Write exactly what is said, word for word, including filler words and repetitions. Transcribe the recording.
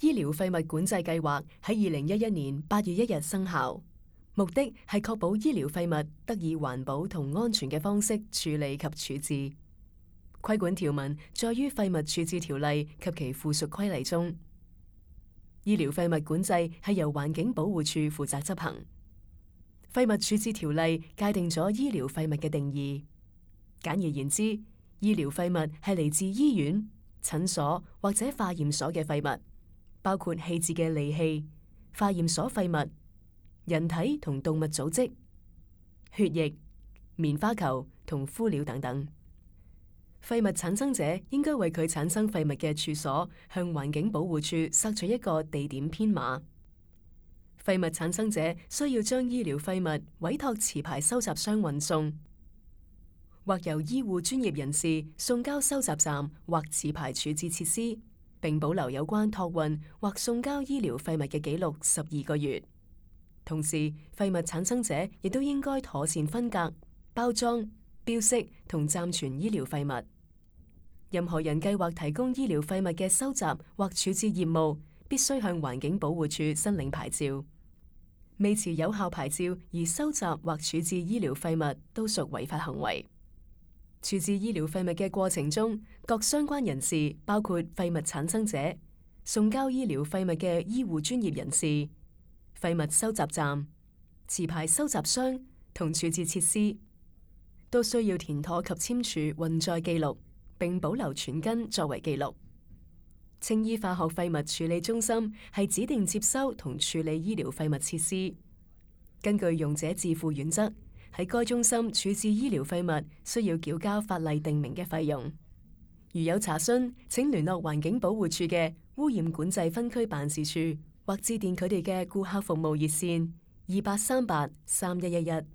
醫療廢物管制計劃喺二零一一年八月一日生效，目的係確保醫療廢物得以環保同安全嘅方式處理及處置。規管條文載於廢物處置條例及其附屬規例中。醫療廢物管制係由環境保護署負責執行。廢物處置條例界定咗醫療廢物嘅定義。簡而言之，醫療廢物係嚟自醫院、診所或者化驗所嘅廢物，包括棄置嘅利器、化驗所廢物、人體同動物組織、血液、棉花球同敷料等等。廢物產生者應該為佢產生廢物嘅處所向環境保護署索取一個地點編碼。廢物產生者需要將醫療廢物委託持牌收集商運送，或由醫護專業人士送交收集站或持牌處置設施，並保留有關託運或送交醫療廢物嘅記錄十二個月。同時，廢物產生者亦都應該妥善分隔、包裝、標識同暫存醫療廢物。任何人計劃提供醫療廢物嘅收集或處置業務，必須向環境保護署申領牌照。未持有效牌照而收集或處置醫療廢物，都屬違法行為。處置醫療廢物嘅過程中，各相關人士，包括廢物產生者、送交醫療廢物嘅醫護專業人士、廢物收集站、持牌收集商同處置設施，都需要填妥及簽署運載記錄，並保留存根作為記錄。青衣化學廢物處理中心係指定接收同處理醫療廢物設施。根據用者自付原則，喺該中心處置醫療廢物需要繳交法例定明嘅費用。如有查詢，請聯絡環境保護署嘅污染管制分區辦事處，或致電佢哋嘅顧客服務熱線二八三八三一一一。